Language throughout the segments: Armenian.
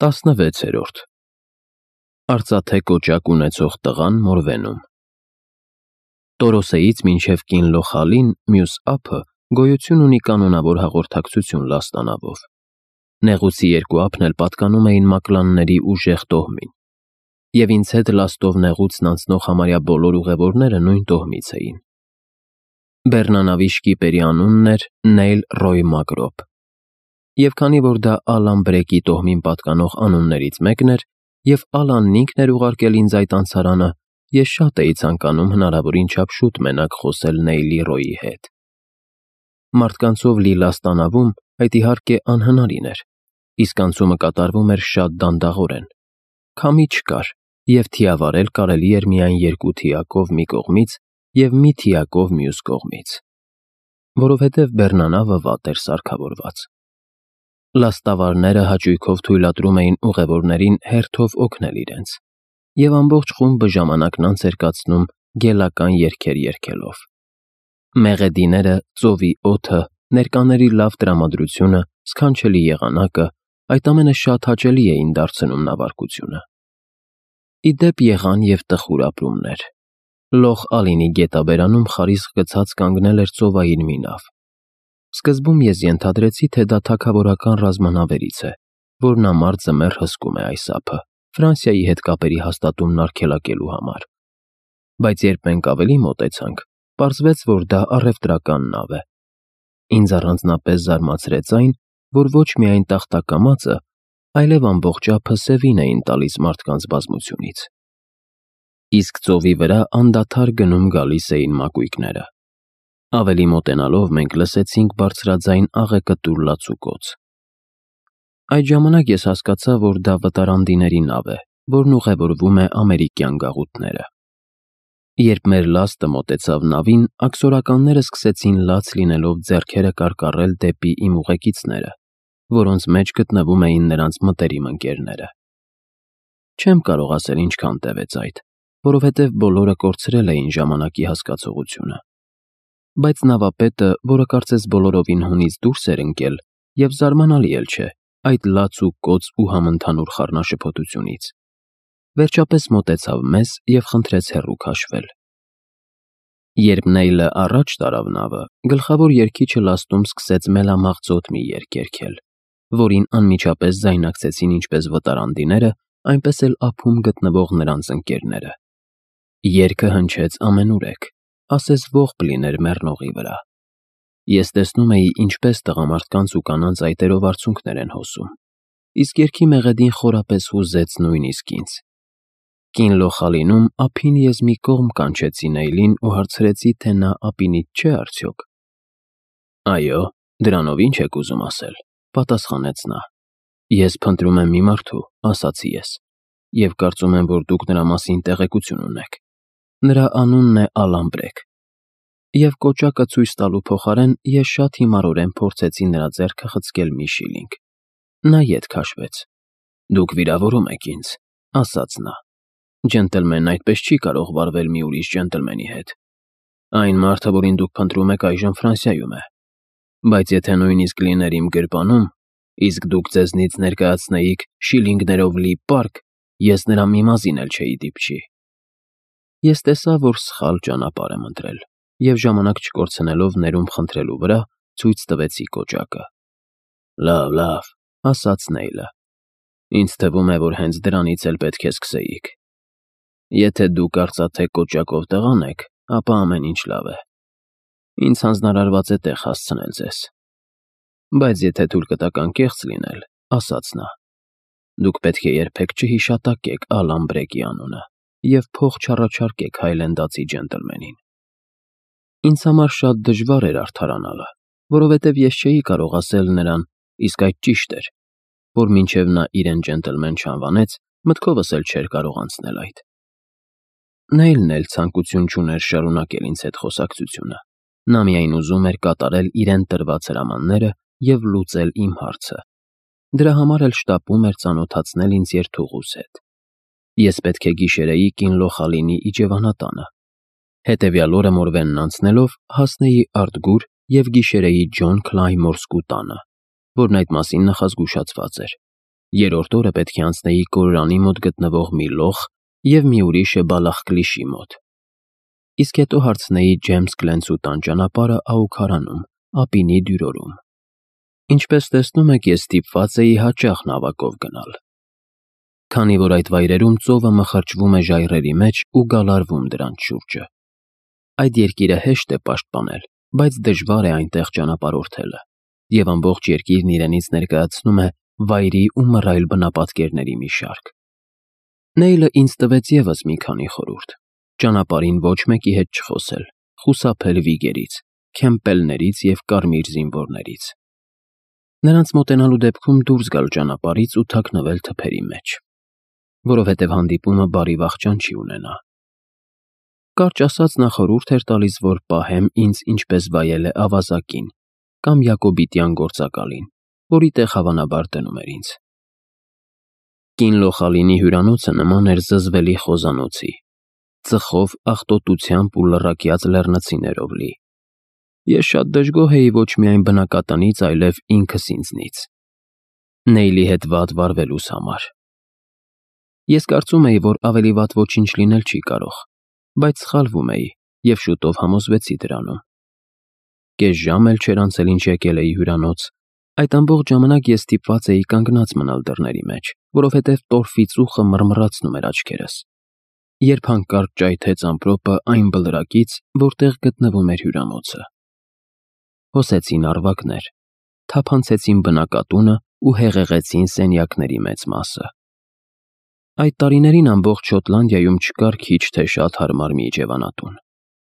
16-րդ Արծաթե կոճակ ունեցող տղան Մորվենում։ Տորոսեից մինչև Կինլոխալին մյուս ափը գոյություն ունի կանոնավոր հաղորդակցություն լաստանավով։ Նեղուցի երկու ափն էլ պատկանում էին մակլանների ուժեղ տոհմին, և ինձ հետ լաստով նեղուցն անցնող համարյա բոլոր ուղևորները նույն տոհմից էին։ Բեռնանավի շկիպերի անունն էր Նեյլ Ռոյ Մակրոպ, և քանի որ դա Ալան Բրեկի տոհմին պատկանող անուններից մեկն էր, և Ալանն ինքն էր ուղարկել ինձ այդ անցարանը, ես շատ էի ցանկանում հնարավորին չափ շուտ մենակ խոսել Նեյլի Ռոյի հետ։ Մարդկանցով լի լաստանավում այդ իհարկե անհնարին էր, իսկ անցումը կատարվում էր շատ դանդաղորեն։ Քամի չկար, և թիավարել կարելի էր միայն երկու թիակով մի կողմից և մի թիակով մյուս կողմից, որովհետև բեռնանավը վատ էր սարքավորված։ Լաստավարները հաճույքով թույլատրում էին ուղևորներին հերթով օգնել իրենց, և ամբողջ խումբը ժամանակն անց էր կացնում գելական երգեր երգելով։ Մեղեդիները, ծովի օդը, ներկաների լավ տրամադրությունը, սքանչելի եղանակը, այդ ամենը շատ հաճելի էին դարձնում նավարկությունը։ Ի դեպ եղան և տխուր ապրումներ։ Լոխ Ալինի գետաբերանում խարիսխ գցած կանգնել էր ծովային մի նավ։ Սկզբում ես ենթադրեցի, թե դա թագավորական ռազմանավերից է, որ ամառ ձմեռ հսկում է այս ափը, Ֆրանսիայի հետ կապերի հաստատումն արգելակելու համար։ Բայց երբ մենք ավելի մոտեցանք, պարզվեց, որ դա առևտրական նավ է։ Ինձ առանձնապես զարմացրեց այն, որ ոչ միայն տախտակամածը, այլև ամբողջ ափը սևին էին տալիս մարդկանց բազմությունից։ Իսկ ծովի վրա անդադար գնում-գալիս էին մակույկները։ Ավելի մոտենալով մենք լսեցինք բարձրաձայն աղեկտուր լացուկոց։ Այդ ժամանակ ես հասկացա, որ դա վտարանդիների նավ է, որն ուղևորվում է ամերիկյան գաղութները։ Երբ մեր լաստը մոտեցավ նավին, աքսորականները սկսեցին լաց լինելով ձեռքերը կարկառել դեպի իմ ուղեկիցները, որոնց մեջ գտնվում էին նրանց մտերիմ ընկերները։ Չեմ կարող ասել ինչքան տևեց այդ, որովհետև բոլորը կորցրել էին ժամանակի հասկացողությունը։ Բայց նավապետը, որը կարծես բոլորովին հունից դուրս էր ընկել, և զարմանալի էլ չէ, այդ լաց ու կոծ ու համընդհանուր խառնաշփոթությունից, վերջապես մոտեցավ մեզ և խնդրեց հեռու քաշվել։ Երբ Նեյլը առաջ տարավ նավը, գլխավոր երգիչը լաստում սկսեց մելամաղձոտ մի երգ երգել, որին անմիջապես ձայնակցեցին ինչպես վտարանդիները, այնպես էլ ափում գտնվող նրանց ընկերները։ Երգը հնչեց ամենուրեք, ասես ողբ լիներ մեռնողի վրա։ Ես տեսնում էի, ինչպես տղամարդկանց ու կանանց այտերով արցունքներ են հոսում, իսկ երգի մեղեդին խորապես հուզեց նույնիսկ ինձ։ Կինլոխալինում ափին ես մի կողմ կանչեցի Նեյլին ու հարցրեցի, թե նա ափինից չէ արդյոք։ Այո, դրանով ինչ եք ուզում ասել, պատասխանեց նա։ Ես փնտրում եմ մի մարդու, ասացի ես, և կարծում եմ, որ դուք նրա մասին տեղեկություն ունեք։ Նրա անունն է Ալան Բրեք։ Եվ կոճակը ցույց տալու փոխարեն ես շատ հիմարորեն փորձեցի նրա ձեռքը խցկել մի շիլինգ։ Նա ետ քաշվեց։ Դուք վիրավորում եք ինձ, ասաց նա։ Ջենտլմենն այդպես չի կարող վարվել մի ուրիշ ջենտլմենի հետ։ Այն մարդը, որին դուք փնտրում եք, այժմ Ֆրանսիայում է։ Բայց եթե նույնիսկ լիներ իմ գրպանում, իսկ դուք ձեզնից ներկայացնեիք շիլինգներով լի պարկ, ես նրա մի մազին էլ չէի դիպչի։ Ես տեսա, որ սխալ ճանապարհ եմ ընտրել, և ժամանակ չկորցնելով ներում խնդրելու վրա, ցույց տվեցի կոճակը։ Լավ, ասաց Նեյլը։ Ինձ թվում է, որ հենց դրանից էլ պետք է սկսեիք։ Եթե դուք արծաթե կոճակով տղան եք, ապա ամեն ինչ լավ է։ Ինձ հանձնարարված է տեղ հասցնել ձեզ։ Բայց եթե թույլ կտաք անկեղծ լինել, ասաց նա, դուք պետք է երբեք չհիշատակեք Ալան Բրեկի անունը և փող չառաջարկեք հայլենդացի ջենտլմենին։ Ինձ համար շատ դժվար էր արդարանալը, որովհետև ես չէի կարող ասել նրան, իսկ այդ ճիշտ էր, որ մինչև նա իրեն ջենտլմեն չանվանեց, մտքովս էլ չէր կարող անցնել այդ։ Նեյլն էլ ցանկություն չուներ շարունակել ինձ հետ խոսակցությունը։ Նա միայն ուզում էր կատարել իրեն տրված հրամանները և լուծել իմ հարցը։ Դրա համար էլ շտապում էր ծանոթացնել ինձ երթուղուս հետ։ Ես պետք է գիշերեի Կինլոխալինի իջևանատանը։ Հետևյալ օրը Մորվենն անցնելով հասնեի Արտգուր և գիշերեի Ջոն Քլայմորսկու տանը, որն այդ մասին նախազգուշացված էր։ երրորդ օրը պետք է անցնեի Կորորանի մոտ գտնվող մի լոխ և մի ուրիշը Բալախկլիշի մոտ։ Իսկ հետո հարցնեի Ջեյմս Գլենցու տան ճանապարհը Աուքարանում, ափինի դյուրորում։ Ինչպես տեսնում եք, ես ստիպված էի հաճախ նավակով գնալ, քանի որ այդ վայրերում ծովը մխրճվում է ժայռերի մեջ ու գալարվում դրանց շուրջը։ Այդ երկիրը հեշտ է պաշտպանել, բայց դժվար է այնտեղ ճանապարհորդելը, և ամբողջ երկիրն իրենից ներկայացնում է վայրի ու մռայլ բնապատկերների մի շարք։ Նեյլը ինձ տվեց ևս մի քանի խորհուրդ. ճանապարհին ոչ մեկի հետ չխոսել, խուսափել վիգերից, քեմպելներից և կարմիր զինվորներից։ Նրանց մոտենալու դեպքում դուրս գալ ճանապարհից ու թաքնվել թփերի մեջ, որովհետև հանդիպումը բարի վախճան չի ունենա։ Կարճ ասած, նա խորհուրդ էր տալիս, որ պահեմ ինձ ինչպես վայել է ավազակին կամ Յակոբիտյան գործակալին, որի տեղ հավանաբար դնում էր ինձ։ Կին Լոխալինի հյուրանոցը նման էր զզվելի խոզանոցի, ծխով, աղտոտությամբ ու լռակյաց լեռնցիներով լի։ Ես շատ դժգոհ էի ոչ միայն բնակատնից, այլև ինքս ինձնից, Նեյլի հետ վատ վարվելուս համար։ Ես կարծում էի, որ ավելի վատ ոչինչ լինել չի կարող, բայց սխալվում էի և շուտով համոզվեցի դրանում։ Կես ժամ էլ չէր անցել, ինչ եկել էի հյուրանոց։ Այդ ամբողջ ժամանակ ես ստիպված էի կանգնած մնալ դռների մեջ, որովհետև տորֆի ծուխը մռմռացնում էր աչքերս, երբ հանկարծ ճայթեց ամպրոպը այն բլրակից, որտեղ գտնվում էր հյուրանոցը։ Հոսեցին առվակներ, թափանցեցին բնակատունը ու հեղեղեցին սենյակների մեծ մասը։ Այդ տարիներին ամբողջ Շոտլանդիայում չկար քիչ թե շատ հարմար մի իջևանատուն,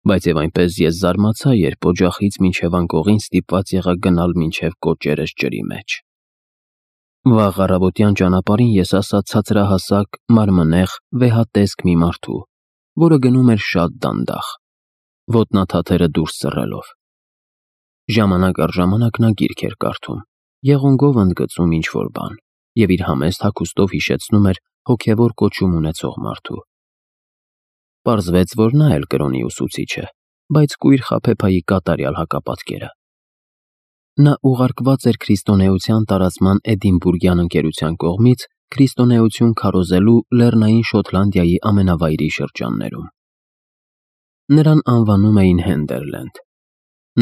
բայց և այնպես ես զարմացա, երբ օջախից մինչև անկողին ստիպված եղա գնալ մինչև կոճերս ջրի մեջ։ Վաղ առավոտյան ճանապարհին ես ասա ցածրահասակ, մարմնեղ, վեհատեսկ մի մարդու, որը գնում էր շատ դանդաղ, ոտնաթաթերը դուրս ծռելով։ Ժամանակ առ ժամանակ նա գիրք էր կարդում, եղունգով ընդգծում ինչ-որ բան և իր համեստ հագուստով հիշեցնում էր հոգևոր կոչում ունեցող մարդու։ Պարզվեց, որ նա էլ կրոնի ուսուցիչ է, բայց կույր Խաբեբայի կատարյալ հակապատկերը։ Նա ուղարկված էր քրիստոնեության տարածման Էդինբուրգյան ընկերության կողմից քրիստոնեություն քարոզելու Լեռնային Շոտլանդիայի ամենավայրի շրջաններում։ Նրան անվանում էին Հենդերլենդ։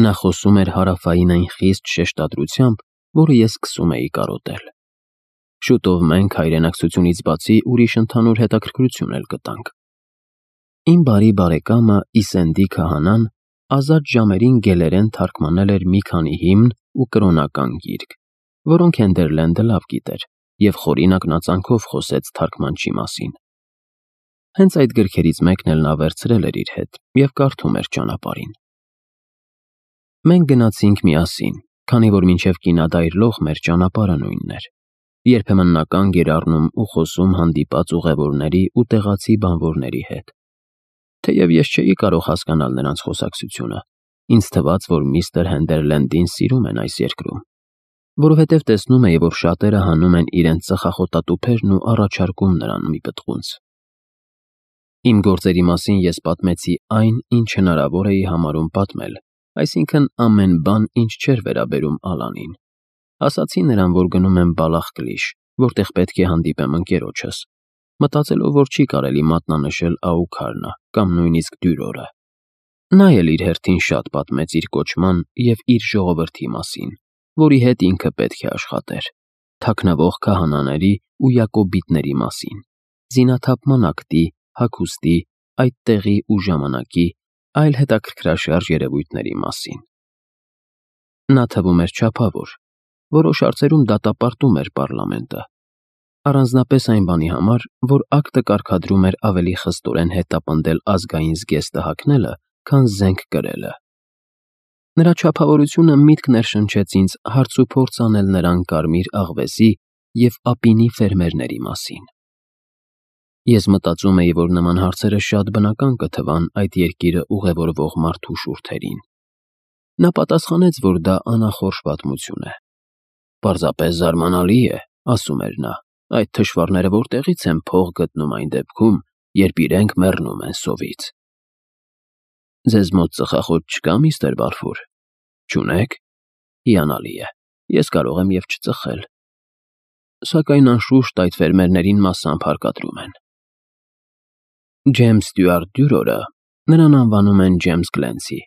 Նա խոսում էր հարավային այն խիստ շեշտադրությամբ, որը ես սկսում էի կարոտել։ Շուտով մենք հայրենակցությունից բացի ուրիշ ընդհանուր հետաքրքրություն էլ գտանք։ Իմ բարի բարեկամը Իսենդի քահանան ազատ ժամերին գելերեն թարգմանել էր մի քանի հիմն ու կրոնական գիրք, որոնք Հենդերլենդը լավ գիտեր, և խորին ակնածանքով խոսեց թարգմանչի մասին։ Հենց այդ գրքերից մեկն էլ նա վերցրել էր իր հետ և կարդում էր ճանապարհին։ Մենք գնացինք միասին, քանի որ մինչև կինադայրլող մեր ճանապարհը նույնն էր։ Երբեմն նա կանգ էր առնում ու խոսում հանդիպած ուղևորների ու տեղացի բանվորների հետ։ Թեև ես չէի կարող հասկանալ նրանց խոսակցությունը, ինձ թվաց, որ միստր Հենդերլենդին սիրում են այս երկրում, որովհետև տեսնում էի, որ շատերը հանում են իրենց ծխախոտատուփերն ու առաջարկում նրան մի պտղունց։ Իմ գործերի մասին ես պատմեցի այն, ինչ հնարավոր էի համարում պատմել, այսինքն ամեն բան, ինչ չէր վերաբերում Ալանին։ Ասացի նրան, որ գնում եմ Բալախկլիշ, որտեղ պետք է հանդիպեմ ընկերոջս, մտածելով, որ չի կարելի մատնանշել Աուքարնը կամ նույնիսկ Դյուրորը։ Նա էլ իր հերթին շատ պատմեց իր կոչման և իր ժողովրդի մասին, որի հետ ինքը պետք է աշխատեր, թաքնվող քահանաների ու յակոբիտների մասին, զինաթափման ակտի, հագուստի, այդ տեղի ու ժամանակի, այլ հետաքրքրաշարժ երևույթների մասին։ Նա թվում էր չափավոր, որոշ հարցերում դատապարտում էր պարլամենտը, առանձնապես այն բանի համար, որ ակտը կարգադրում էր ավելի խստորեն հետապնդել ազգային զգեստը հագնելը, քան զենք կրելը։ Նրա չափավորությունը միտք ներշնչեց ինձ հարցուփորձ անել նրան կարմիր աղվեսի և ապինի ֆերմերների մասին։ Ես մտածում էի, որ նման հարցերը շատ բնական կթվան այդ երկիրը ուղևորվող մարդու շուրթերին։ Նա պատասխանեց, որ դա անախորժ պատմություն է։ Պարզապես զարմանալի է, ասում էր նա, այդ թշվառները որտեղից են փող գտնում այն դեպքում, երբ իրենք մեռնում են սովից։ Ձեզ մոտ ծխախոտ չկա, միստր Բալֆուր։ Չունեք։ Հիանալի է, ես կարող եմ և չծխել։ սակայն անշուշտ այդ ֆերմերներին մասամբ հարկադրում են։ Ջեյմս Ստյուարտ Դյուրորը, նրան անվանում են Ջեյմս Գլենսի,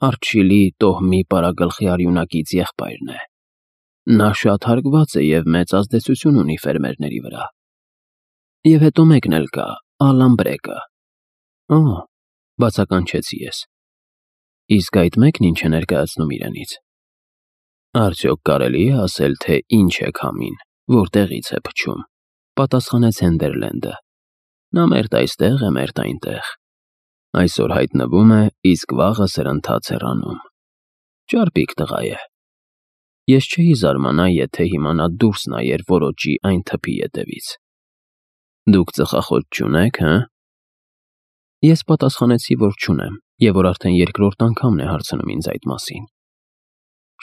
Արչիլի տոհմի պարագլխի արյունակից եղբայրն է։ Նա շատ հարգված է և մեծ ազդեցություն ունի ֆերմերների վրա։ Եվ հետո մեկն էլ կա, Ալան Բրեկը։ Օ, բացականչեցի ես։ Իսկ այդ մեկն ինչ է ներկայացնում իրենից։ Արդյոք կարելի է ասել, թե ինչ է քամին, որտեղից է փչում, պատասխանեց Հենդերլենդը։ Նա մերթ այստեղ է, մերթ այնտեղ։ Այսօր հայտնվում է, իսկ վաղը սրընթաց հեռանում։ Ճարպիկ տղա է։ Ես չէի զարմանա, եթե հիմա նա դուրս նայեր որոճի այն թփի ետևից։ Դուք ծխախոտ չունեք, հը։ Ես պատասխանեցի, որ չունեմ, և որ արդեն երկրորդ անգամն է հարցնում ինձ այդ մասին։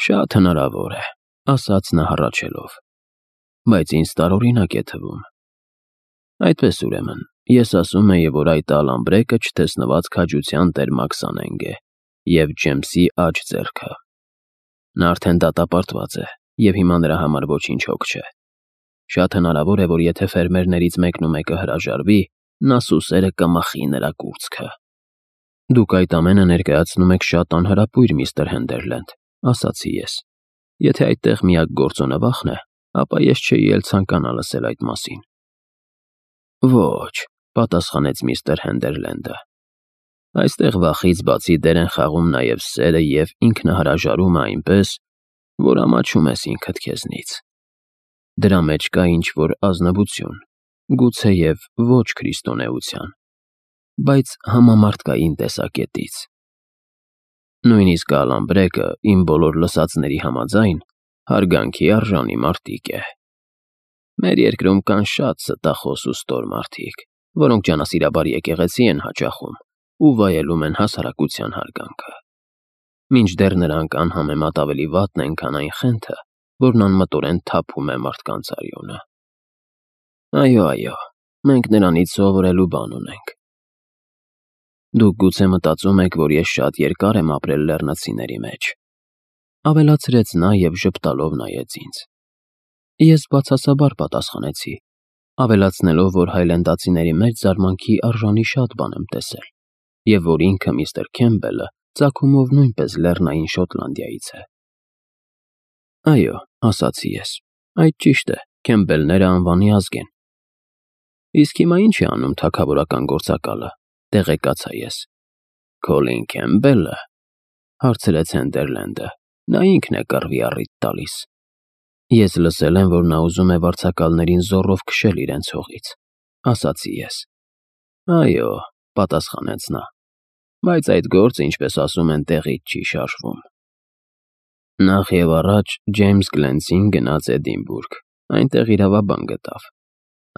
Շատ հնարավոր է, ասաց նա հառաչելով, բայց ինձ տարօրինակ է թվում։ Այդպես ուրեմն, ես ասում էի, որ այդ Ալան Բրեկը չտեսնված քաջության տեր Մաքսանենգ է և Ջեյմսի աջ ձեռքը։ Նա արդեն դատապարտված է, և հիմա նրա համար ոչինչ հոգ չէ։ Շատ հնարավոր է, որ եթե ֆերմերներից մեկն ու մեկը հրաժարվի, նա սուսերը կմախի նրա կուրծքը։ Դուք այդ ամենը ներկայացնում եք շատ անհրապույր, միստր Հենդերլենդ, ասացի ես։ Եթե այդտեղ միակ գործոնը վախն է, ապա ես չէի էլ ցանկանա լսել այդ մասին։ Ոչ, պատասխանեց միստր Հենդերլենդը։ Այստեղ վախից բացի դեր են խաղում նաև սերը և ինքնահրաժարումը այնպես, որ ամաչում ես ինքդ քեզնից։ Դրա մեջ կա ինչ-որ ազնվություն, գուցեև ոչ քրիստոնեության, բայց համամարտկային տեսակետից։ Նույնիսկ Ալան Բրեկը, իմ բոլոր լսածների համաձայն, հարգանքի արժանի մարտիկ է։ Մեր երկրում կան շատ ստախոս ու ստոր մարդիկ, որոնք ջանասիրաբար եկեղեցի են հաճախում ու վայելում են հասարակության հարգանքը։ Մինչդեռ նրանք անհամեմատ ավելի վատն են, քան այն խենթը, որն անմտորեն թափում է մարդկանց արյունը։ Այո, մենք նրանից սովորելու բան ունենք։ Դուք գուցե մտածում եք, որ ես շատ երկար եմ ապրել լեռնացիների մեջ, ավելացրեց նա և ժպտալով նայեց ինձ։ Ես բացասաբար պատասխանեցի, ավելացնելով, որ հայլենդացիների մեջ զարմանքի արժանի շատ բան եմ տեսել, և որ ինքը միստր Քեմբելը ծագումով նույնպես Լեռնային Շոտլանդիայից է։ Այո, ասացի ես, այդ ճիշտ է, Քեմբելները անվանի ազգ են։ Իսկ հիմա ինչ է անում թագավորական գործակալը, տեղեկացա ես։ Քոլին Քեմբելը, հարցրեց Հենդերլենդը, նա ինքն է կռվի առիթ տալիս։ Ես լսել եմ, որ նա ուզում է վարձակալներին զոռով քշել իրենց հողից, ասացի ես։ Այո, պատասխանեց նա, բայց այդ գործը, ինչպես ասում են, տեղից չի շարժվում։ Նախ և առաջ Ջեյմս Գլենսին գնաց Էդինբուրգ, այնտեղ իրավաբան գտավ։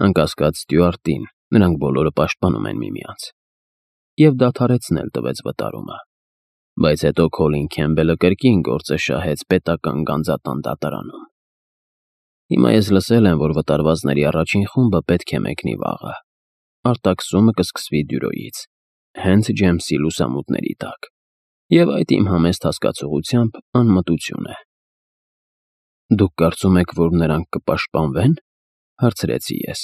Անկասկած Ստյուարտին, նրանք բոլորը պաշտպանում են միմյանց։ Եվ դադարեցնել տվեց վտարումը։ Բայց հետո Քոլին Քեմբելը կրկին գործը շահեց պետական գանձատան դատարանում։ Հիմա ես լսել եմ, որ վտարվածների առաջին խումբը պետք է մեկնի վաղը։ Արտաքսումը կսկսվի Դյուրոյից, հենց Ջեյմսի լուսամուտների տակ, և այդ իմ համեստ հասկացողությամբ անմտություն է։ Դուք կարծում եք, որ նրանք կպաշտպանվեն, հարցրեցի ես։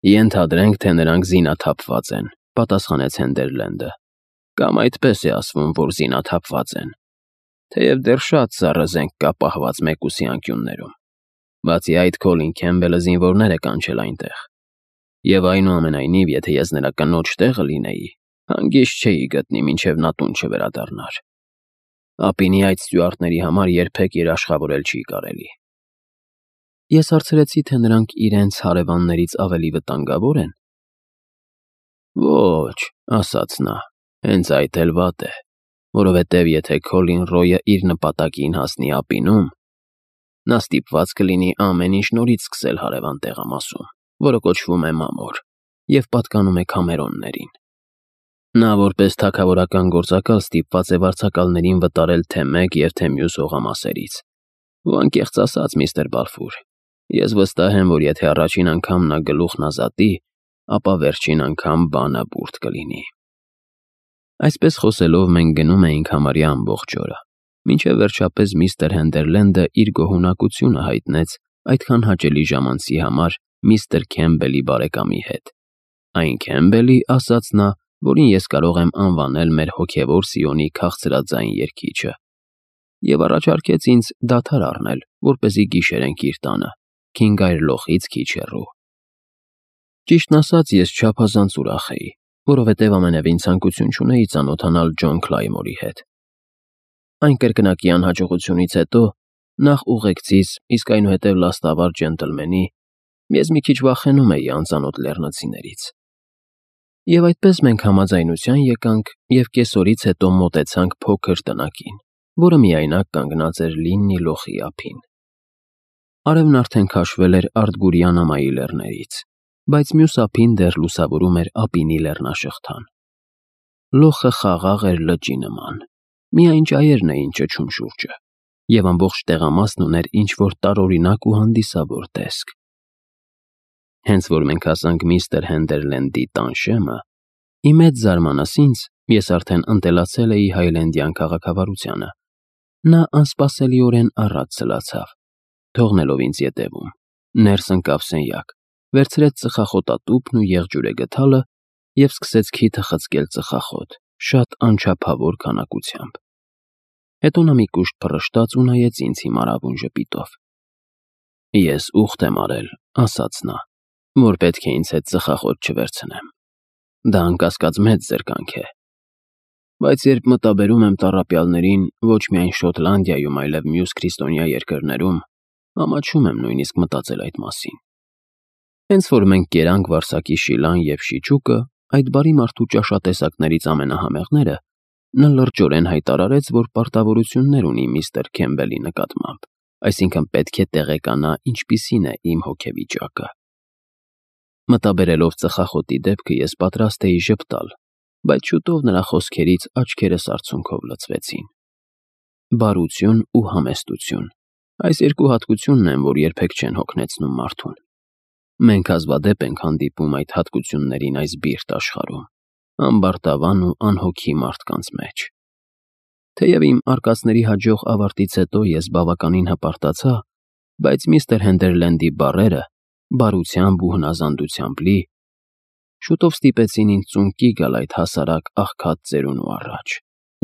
Ենթադրենք, թե նրանք զինաթափված են, պատասխանեց Հենդերլենդը, կամ այդպես է ասվում, որ զինաթափված են, թեև դեռ շատ սառը զենք կա պահված մեկուսի անկյուններում։ Բացի այդ, Քոլին Քեմբելը զինվորներ է կանչել այնտեղ։ Եվ այնուամենայնիվ, եթե ես նրա կնոջ տեղը լինեի, հանգիստ չէի գտնի, մինչև նա տուն չվերադառնար։ Ապինի այդ ստյուարտների համար երբեք երաշխավորել չի կարելի։ Ես հարցրեցի, թե նրանք իրենց հարևաններից ավելի վտանգավոր են։ Ոչ, ասաց նա, հենց այդ էլ վատ է, որովհետև եթե Քոլին Ռոյը իր նպատակին հասնի Ապինում, նա ստիպված կլինի ամեն ինչ նորից սկսել հարևան տեղամասում, որը կոչվում է Մամոր և պատկանում է Քամերոններին։ Նա որպես թագավորական գործակալ ստիպված է վարձակալներին վտարել թե մեկ և թե մյուս հողամասերից։ Ու անկեղծ ասած, միստր Բալֆուր, ես վստահ եմ, որ եթե առաջին անգամ նա գլուխն ազատի, ապա վերջին անգամ բանը բուրդ կլինի։ Այսպես խոսելով մենք գնում էինք համարյա ամբողջ օրը, մինչև վերջապես միստր Հենդերլենդը իր գոհունակությունը հայտնեց այդքան հաճելի ժամանցի համար միստր Քեմբելի բարեկամի հետ։ Այն Քեմբելի, ասաց նա, որին ես կարող եմ անվանել մեր հոգևոր Սիոնի քաղցրաձայն երգիչը, եւ առաջարկեց ինձ դադար առնել, որպեսզի գիշերենք իր տանը, Քինգայր լոխից քիչ հեռու։ Ճիշտն ասած, ես չափազանց ուրախ էի, որովհետև ամենևին ցանկություն չունեի ծանոթանալ Ջոն Քլայմորի հետ։ Այն կրկնակի անհաջողությունից հետո, նախ ուղեկցիս, իսկ այնուհետև լաստավար ջենտլմենի, ես մի քիչ վախենում էի անծանոթ լեռնացիներից։ Եվ այդպես մենք համաձայնության եկանք և կեսօրից հետո մոտեցանք փոքր տնակին, որը միայնակ կանգնած էր Լիննի լոխի ափին։ Արևն արդեն քաշվել էր Արտգուրյան ամայի լեռներից, բայց մյուս ափին դեռ լուսավորում էր ափինի լեռնաշղթան։ Լոխը խաղաղ էր լճի նման, միայն ճայերն էին ճչում շուրջը, և ամբողջ տեղամասն ուներ ինչ-որ տարօրինակ ու հանդիսավոր տեսք։ Հենց որ մենք հասանք միստր Հենդերլենդի տան շեմը, ի մեծ զարմանս ինձ, ես արդեն ընտելացել էի հայլենդյան քաղաքավարությանը, նա անսպասելիորեն առաջ ցլացավ, թողնելով ինձ ետևում, ներս ընկավ սենյակ, վերցրեց ծխախոտատուփն ու եղջյուրե գդալը և սկսեց քիթը խցկել ծխախոտ, շատ անչափավոր քանակությամբ։ Հետո նա մի կուշտ փռշտաց ու նայեց ինձ հիմարավուն ժպիտով։ Ես ուխտ եմ արել, ասաց նա, որ պետք է ինձ հետ ծխախոտ չվերցնեմ։ Դա անկասկած մեծ զրկանք է։ Բայց երբ մտաբերում եմ տառապյալներին ոչ միայն Շոտլանդիայում, այլև մյուս քրիստոնյա երկրներում, ամաչում եմ նույնիսկ մտածել այդ մասին։ Հենց որ մենք կերանք Վարսակի Շիլան և Շիճուկը, այդ բարի մարդու ճաշատեսակներից ամենահամեղները, նա լրջորեն հայտարարեց, որ պարտավորություններ ունի միստր Քեմբելի նկատմամբ, այսինքն պետք է տեղեկանա ինչպիսին է իմ հոգեվիճակը։ Մտաբերելով ծխախոտի դեպքը ես պատրաստ էի ժպտալ, բայց շուտով նրա խոսքերից աչքերս արցունքով լցվեցին։ Բարություն ու համեստություն, այս երկու հատկությունն են, որ երբեք չեն հոգնեցնում մարդուն։ Մենք հազվադեպ ենք հանդիպում այդ հատկություններին այս բիրտ աշխարհում, ամբարտավան ու անհոգի մարդկանց մեջ։ Թեև իմ արկածների հաջող ավարտից հետո ես բավականին հպարտացա, բայց միստր Հենդերլենդի բառերը, բարությամբ ու հնազանդությամբ լի, շուտով ստիպեցին ինձ ծունկի գալ այդ հասարակ աղքատ ծերունու առաջ,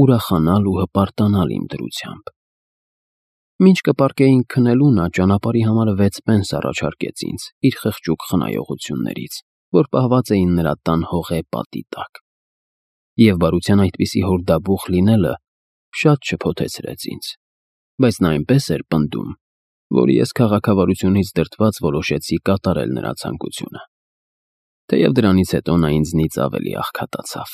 ուրախանալ ու հպարտանալ իմ դրությամբ։ Մինչ կպարկեինք քնելու, նա ճանապարհի համար 6 պենս առաջարկեց ինձ իր խղճուկ խնայողություններից, որ պահված էին նրա տան հողե պատի տակ։ Եվ բարության այդպիսի հորդաբուխ լինելը շատ շփոթեցրեց ինձ, բայց նա այնպես էր պնդում, որ ես քաղաքավարությունից դրդված որոշեցի կատարել նրա ցանկությունը։ Թեև դրանից հետո նա ինձնից ավելի աղքատացավ։